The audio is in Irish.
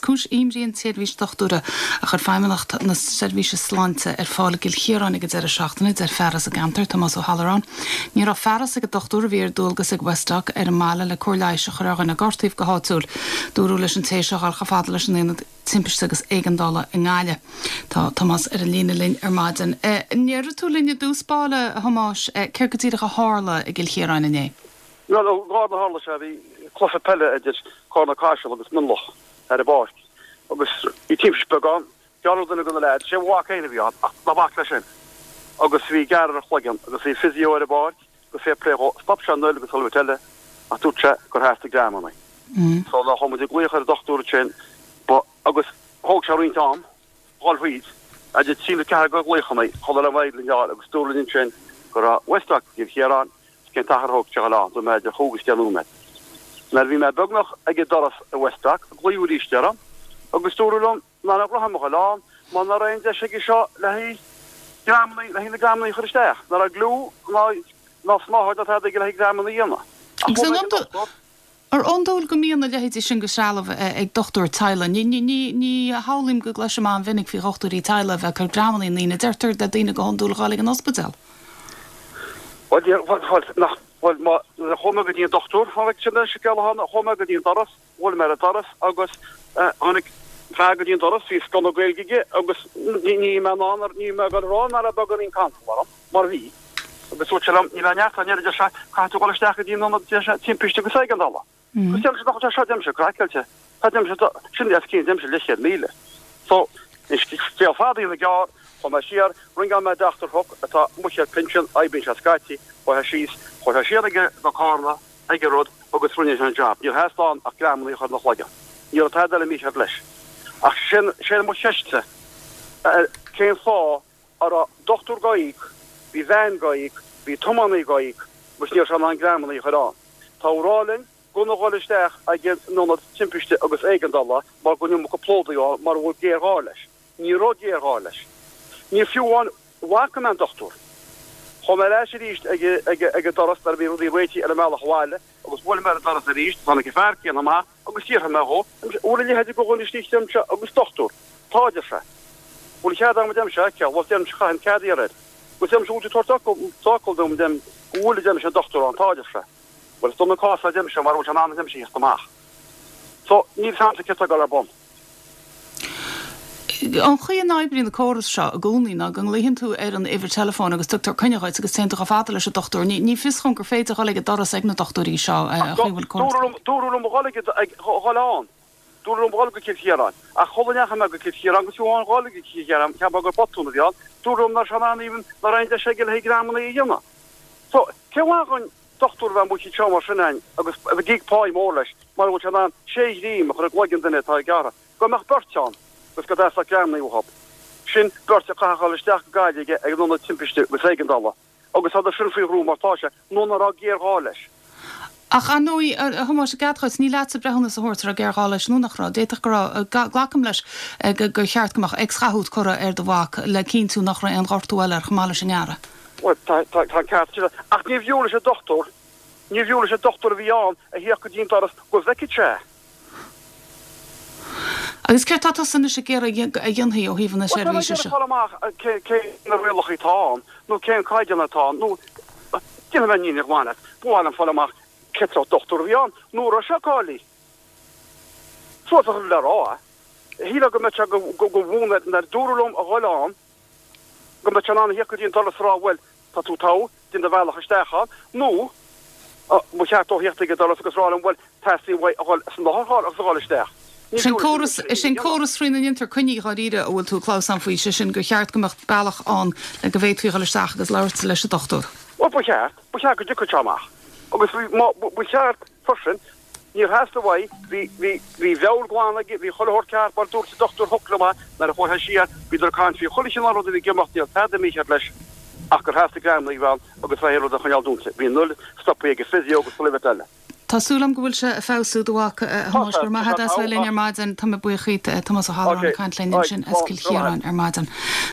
cúis imní an tseirbhís dochtúra a chuir Feidhmeannacht na Seirbhíse Sláinte ar fáil i gCill Chiaráin ag an deireadh seachtaine, deir fear as an gceantar, Tomás Ó hAlluráin. Ní raibh fearas ag an dochtúir a bhí ar dualgas ag Westdoc ar an mbaile le cóir leighis a chur ar dhuine a gortaíodh go háitiúil. Dúradh leis an té seo dhul chomh fada leis an Aonad Timpiste agus Éigeandála i nGaillimh. Tá Tomás ar an líne linn ar maidin. An ndéarfaidh tú linn i dtús báire, a Thomáis, céard go díreach a tharla i gCill Chiaráin inné? Bhuel, an lá a tharla sé, bhí cluiche peile idir Carna Caiseal agus Mionlach ar an bpáirc agus bhí timpiste beag ann. Gearradh duine de na leaids, sé mo mhac féin a bhí ann, ach ná bac leis sin. Agus bhí gearradh ar a chloigeann agus bhí physio ar an bpáirc agus fair play dhó, stop sé an fhuil agus chuile bit eile ach dúirt sé gur theastaigh greamannaí. So nuair a chuaigh muid ag glaoch ar an dochtúir ansin, ba, agus thóg sé roinnt am dhul thríd, idir trí nó ceathair de ghlaochannaí chun dul ar aghaidh linn fháil agus dúradh linn ansin go raibh Westdoc i gCill Chiaráin agus cén t-achar a thóg sé dhul ann, dúirt mé idir chúig agus deich nóiméad. Nuair a bhí mé beagnach ag an doras i Westdoc, glaodh arís orm agus dúradh liom nach raibh orm a dhul ann mar nach raibh aon deis aige seo le haghaidh greamannaí, le haghaidh na greamannaí a chur isteach. Nach raibh gliú ná ná snáthaid ná tada aige le haghaidh greamannaí a dhéanamh. Ach Agus chuaigh an mé ag an dochtúir. Ar iondúil go mbíonn a leithéidí sin de threalamh ag dochtúir teaghlaigh? Ní shamhlaím go gcloisim an-mhinic faoi dhochtúirí teaghlaigh a bheith ag cur greamannaí i ndaoine. Deirtear le daoine go hiondúil a dhul ag an ospidéal. Bhuel, bhuel, nach, bhuel, má, nuair a chuaigh mé go dtí an dochtúir, tháinig sin an scéal a tháinig, chuaigh mé go dtí an doras, bhuail mé ar an doras agus tháinig fear go dtí an doras, bhí sconna Gaeilge aige agus ní, ní mé in ann, ní mé ag dul a rá nach raibh beagáinín cantal orm, mar bhí. Agus dúirt sé liom, níl aon neart ann, a deir sé, caithfidh tú dul isteach go dtí an ionad, deir sé, timpiste agus éigeandála. Agus deirimse, nach bhfuil sé seo, deirimse, craiceáilte. Tá, deirimse, sin os cionn, deirimse, leathchéad míle. So, scéal fada a dhéanamh gearr, chuaigh mé siar, ringeáil mé Dochtúir Hook, atá amuigh ar pinsean, oibríonn sé scaití, chuaigh sé síos, chuaigh sé siar ag go Carna, ag an rud, agus rinne sé an jab. Níor theastaigh ann ach greamannaí a chur ina chloigeann. Ní raibh tada eile mícheart leis. Ach sin, sin mo cheistse, cén fáth a raibh dochtúir dhá íoc, bhí veain dhá íoc, bhí tiománaí dhá íoc agus ní raibh sé in ann greamannaí a chur ann. Tá á rá linn gan a dhul isteach ag an ionad timpiste agus éigeandála mar go bhfuil an iomarca plódaí ann mar a bhfuil géarghá leis. Ní raibh géarghá leis. Ní fiú amháin bhfaca mé an dochtúir. Chuaigh mé ar ais arís ag an doras nuair a bhí rudaí réitithe ar an mbealach abhaile agus bhuail mé ar an doras arís, tháinig an fear céanna amach agus d'fhiafraigh mé dhó, an bhfuil a leithéid de dhuine istigh deirimse agus dochtúir, tá a deir sé. Bhfuil cead agam a deirimse a fheiceáil, bhuel deirimse chaithfinn cead a iarraidh air. Agus deirimse bhfuil tú ag tabhairt d'fhocal, d'fhocal dom deirim go bhfuil a deirimse an dochtúir ann, tá a deir sé. Bhuel is dona an cás é a deirimse mara bhfuil sé in ann a deirimse a theacht amach. So níl 's a'msa céard tá ag dul ar bun. An chaoi a n-oibríonn an córas seo i gcónaí ná go nglaodhann tú ar an uimhir teileafóin agus tugtar coinne dhuit agus téann tú chomh fada leis an dochtúir. Ní fios dhom gur féidir dhul ag an doras ag na dochtúirí seo, an chaoi a bhfuil córas. Dúradh liom a dhul ag dhul ann. Dúradh liom a dhul go Cill Chiaráin. Ach shula ndeachaigh mé go Cill Chiaráin agus fiú amháin dhul go Cill Chiaráin, cheap mé gur botún a bhí ann, dúradh liom nach raibh sé in ann even, nach raibh aon deis aige le haghaidh greamannaí a dhéanamh. So, cén mhaith dhúinn dochtúir a bheith amuigh anseo mar sin againn agus a bheith ag íoc páí mór leis mara bhfuil sé in ann sé ghreim a chur i gcloigeann duine atá gearrtha, go mbeadh beirt ann agus go dteastódh greamannaí uathu. Sin beirt a chaithfeadh dhul isteach go Gaillimh ag an ionad timpiste agus éigeandála agus tá sin faoi bhrú mar tá sé, nó nach raibh géarghá leis. Ach ar ndóigh, a Thomáis, i gcead dhuit, ní leatsa breithiúnas a thabhairt an raibh géarghá leis nó nach raibh. D'fhéadfadh go raibh. Glacaim leis gur cheart go mbeadh X-ghathú curtha ar do mhac le cinntiú nach raibh aon ghortú eile air chomh maith leis an ngearradh. Bhuel, tá, tá, tá an ceart agat. Ach níorbh fhiú leis an dochtúir, níorbh fhiú leis an dochtúir a bhí ann a theacht go dtí an doras go bhfeicfeadh sé é. Agus céard tá tusa anois ag iarraidh a dhéanfaí ó thaobh na Bhuel, tá mé ag seirbhíse iarraidh seo? fáil amach cé, cé na rialacha atá ann, nó cén caighdeán atá ann, nó, déanfaidh mé an fhírinne ghlan leat, ba mhaith liom fáil amach cén sórt dochtúir a bhí ann, nó an raibh sé cáilithe. Suas a chur le rá é. Shílfeá go mbeadh sé go, go, go bhún ar, nuair a dúradh liom a dhul ann, go mbeadh sé in ann a theacht go dtí an doras is a rá, bhuel, tá tú togha, déan do bhealach isteach ann, nó ba cheart dó theacht ag an doras agus rá liom, bhuel, teastaíonn uaidh a dhul san otharcharr agus a dhul isteach. Ní Sin fiú leis an córas, duine sin is é an a dhéanamh. córas faoina ndéantar coinní dháiríre a bhfuil tú ag clamhsán faoi, sé sin gur cheart go mbeadh bealach ann le go bhféadfaí a dhul isteach agus labhairt leis an dochtúir. Bhuel, ba cheart, ba cheart go dtiocfadh sé amach agus bhí, má, ba cheart freisin, Níor theastaigh uaidh, bhí, bhí, bhí a mheabhair glan aige, bhí chuile shórt ceart, mar dúirt an dochtúir Hook liom é nuair a chuaigh sé siar, bhíodar ag caint faoi chuile chineál rud a bhí ag imeacht, ní raibh tada mícheart leis ach gur theastaigh greamannaí a bheith ann agus bheith an rud a choinneáil dúnta. Bhí an fhuil stoptha ag an physio agus chuile bhit eile. Tá súil agam go bhfuil sé ag feabhsú, do mhac, a Tá Thomáis. sé, Go raibh tá maith sé agat as bheith togha linn ach. ar maidin. Tá mé buíoch dhíot, Tomás Ó Ok, hAlluráin ag caint linn alright, ansin as slán, Cill go raibh maith Chiaráin agat. ar maidin.